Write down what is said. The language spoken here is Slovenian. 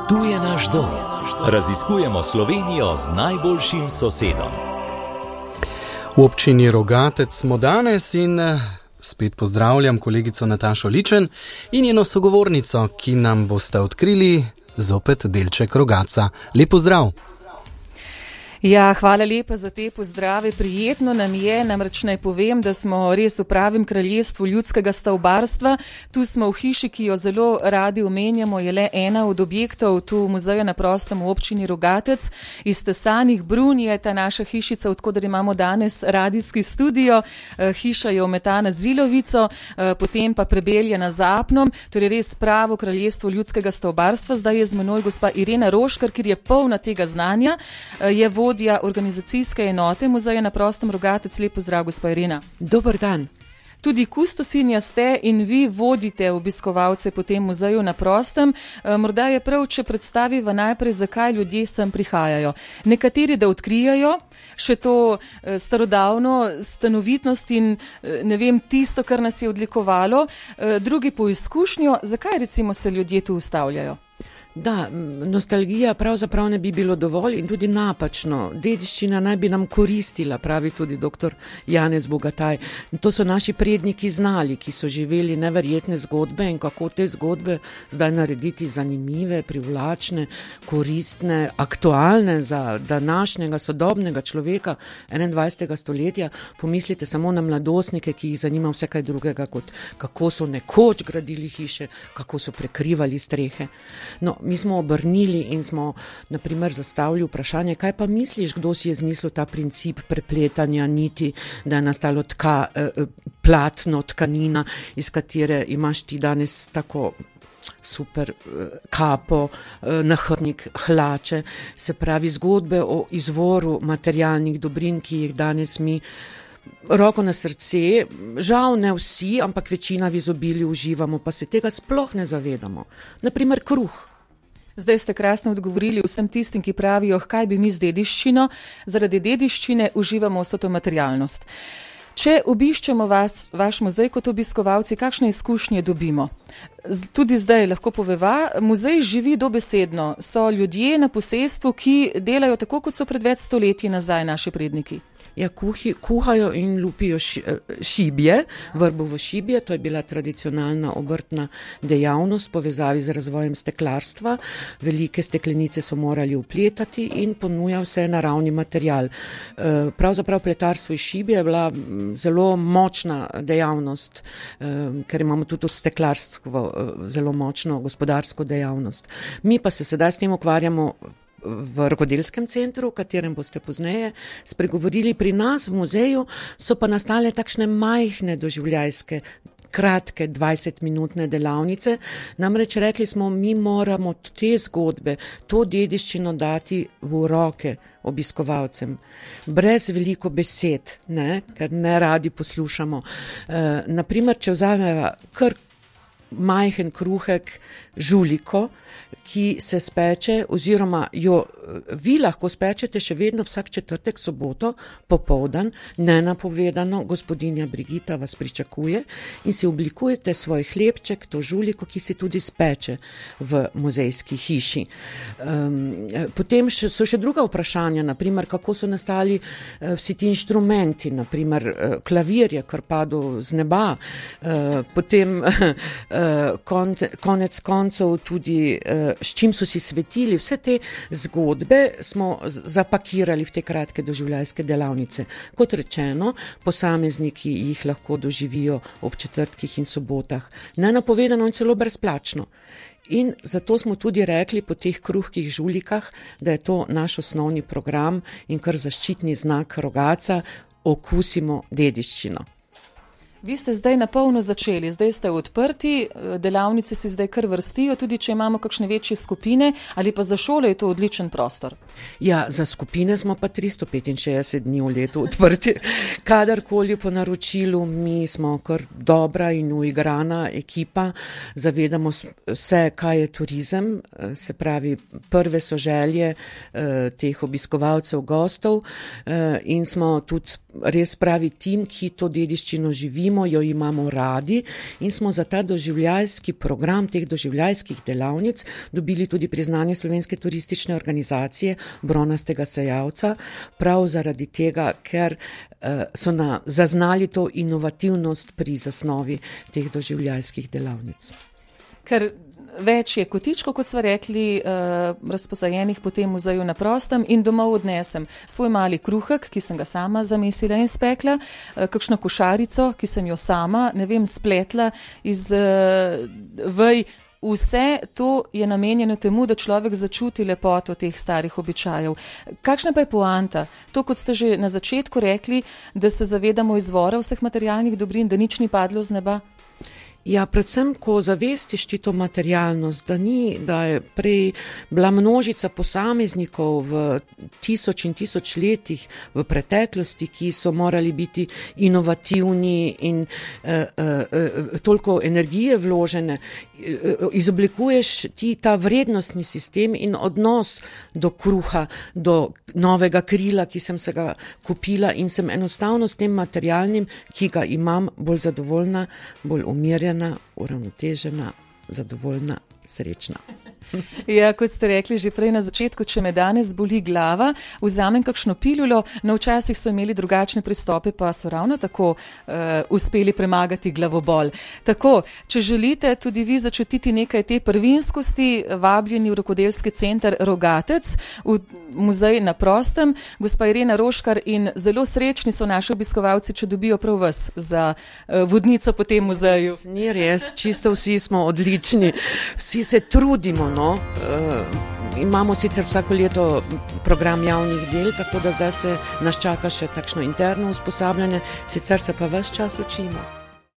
Tu je naš dom. Raziskujemo Slovenijo z najboljšim sosedom. V občini Rogatec smo danes in spet pozdravljam kolegico Natašo Ličen in njeno sogovornico, ki nam boste odkrili zopet delček Rogatca. Lep pozdrav! Ja, hvala lepa za te pozdrave. Prijetno nam je, namreč naj povem, da smo res v pravem kraljestvu ljudskega stavbarstva. Tu smo v hiši, ki jo zelo radi omenjamo, je le ena od objektov tu muzeja na prostem v občini Rogatec. Iz tesanih brun je ta naša hišica, odkudar imamo danes radijski studio. Hiša je ometana z zilovico, potem pa prebeljena z apnom. Torej res pravo kraljestvo ljudskega stavbarstva. Zdaj je z menoj gospa Irena Roškar, ki je polna tega znanja. Je vodja organizacijske enote muzeja na prostem Rogatec. Lep pozdrav, gospa Irena. Dober dan. Tudi kustosinja ste in vi vodite obiskovalce po tem muzeju na prostem. Morda je prav, če predstaviva najprej, zakaj ljudje sem prihajajo. Nekateri, da odkrijajo še to starodavno stanovitnost in ne vem, tisto, kar nas je odlikovalo. Drugi po izkušnjo, zakaj recimo se ljudje tu ustavljajo? Da, nostalgija pravzaprav ne bi bilo dovolj in tudi napačno. Dediščina naj bi nam koristila, pravi tudi dr. Janez Bogataj. To so naši predniki znali, ki so živeli neverjetne zgodbe in kako te zgodbe zdaj narediti zanimive, privlačne, koristne, aktualne za današnjega sodobnega človeka 21. stoletja. Pomislite samo na mladostnike, ki jih zanima vse kaj drugega, kot kako so nekoč gradili hiše, kako so prekrivali strehe. No, mi smo obrnili in smo, na primer, zastavili vprašanje, kaj pa misliš, kdo si je zmislil ta princip prepletanja niti, da je nastalo platno, tkanina, iz katere imaš ti danes tako super kapo, nahrbtnik, hlače, se pravi zgodbe o izvoru materialnih dobrin, ki jih danes mi roko na srce, žal ne vsi, ampak večina v izobilju uživamo, pa se tega sploh ne zavedamo. Naprimer kruh. Zdaj ste krasno odgovorili vsem tistim, ki pravijo, kaj bi mi z dediščino. Zaradi dediščine uživamo vso to materialnost. Če obiščemo vaš muzej kot obiskovalci, kakšne izkušnje dobimo? Tudi zdaj lahko poveva, muzej živi dobesedno. So ljudje na posestvu, ki delajo tako, kot so pred več stoletji nazaj naši predniki. Ja, kuhajo in lupijo šibje, vrbovo šibje, to je bila tradicionalna obrtna dejavnost v povezavi z razvojem steklarstva. Velike steklenice so morali upletati in ponuja vse naravni material. Pravzaprav pletarstvo iz šibje je bila zelo močna dejavnost, ker imamo tudi steklarstvo zelo močno gospodarsko dejavnost. Mi pa se sedaj s tem ukvarjamo v rokodelskem centru, v katerem boste pozneje spregovorili. Pri nas v muzeju so pa nastale takšne majhne doživljajske, kratke 20-minutne delavnice. Namreč rekli smo, mi moramo te zgodbe, to dediščino dati v roke obiskovalcem. Brez veliko besed, ker ne radi poslušamo. Naprimer, če vzameva kar majhen kruhek, žuliko, ki se speče oziroma jo vi lahko spečete še vedno vsak četrtek, soboto, popoldan, nenapovedano, gospodinja Brigita vas pričakuje in si oblikujete svoj hlebček, to žuliko, ki si tudi speče v muzejski hiši. Potem so še druga vprašanja, naprimer, kako so nastali vsi ti inštrumenti, naprimer klavir je kar padel z neba, potem konec koncev tudi s čim so si svetili. Vse te zgodbe smo zapakirali v te kratke doživljajske delavnice. Kot rečeno, posamezniki jih lahko doživijo ob četrtkih in sobotah. Nenapovedano in celo brezplačno. In zato smo tudi rekli po teh kruhkih žulikah, da je to naš osnovni program in kar zaščitni znak Rogatca, okusimo dediščino. Vi ste zdaj na polno začeli, zdaj ste odprti, delavnice si zdaj kar vrstijo, tudi če imamo kakšne večje skupine, ali pa za šole je to odličen prostor? Ja, za skupine smo pa 365 dni v letu odprti. Kadarkoli po naročilu, mi smo kar dobra in uigrana ekipa, zavedamo se, kaj je turizem, se pravi, prve so želje teh obiskovalcev, gostov in smo tudi res pravi tim, ki to dediščino živimo, jo imamo radi in smo za ta doživljajski program teh doživljajskih delavnic dobili tudi priznanje Slovenske turistične organizacije Bronastega sejavca, prav zaradi tega, ker so zaznali to inovativnost pri zasnovi teh doživljajskih delavnic. Ker več je kotičkov, kot smo rekli, razposajenih po tem muzeju na prostem in domov odnesem svoj mali kruhek, ki sem ga sama zamesila in spekla, kakšno košarico, ki sem jo sama, spletla iz vej. Vse to je namenjeno temu, da človek začuti lepoto teh starih običajev. Kakšna pa je poanta? To, kot ste že na začetku rekli, da se zavedamo izvora vseh materialnih dobrin, da nič ni padlo z neba? Ja, predvsem, ko zavestiš ti to materialnost, da je prej bila množica posameznikov v tisoč in tisoč letih v preteklosti, ki so morali biti inovativni in toliko energije vložene, izoblikuješ ti ta vrednostni sistem in odnos do kruha, do novega krila, ki sem se ga kupila in sem enostavno s tem materialnim, ki ga imam, bolj zadovoljna, bolj umirjena, uravnotežena, zadovoljna, srečna. Ja, kot ste rekli že prej na začetku, če me danes boli glava, vzamem kakšno pilulo, včasih so imeli drugačne pristope, pa so ravno tako uspeli premagati glavobol. Tako, če želite tudi vi začutiti nekaj te prvinskosti, vabljeni v rokodelski center Rogatec, v muzej na prostem, gospa Irena Roškar, in zelo srečni so naši obiskovalci, če dobijo prav vas za vodnico po tem muzeju. Ni res, čisto vsi smo odlični, vsi se trudimo. Imamo sicer vsako leto program javnih del, tako da zdaj se nas čaka še takšno interno usposabljanje, sicer se pa ves čas učimo.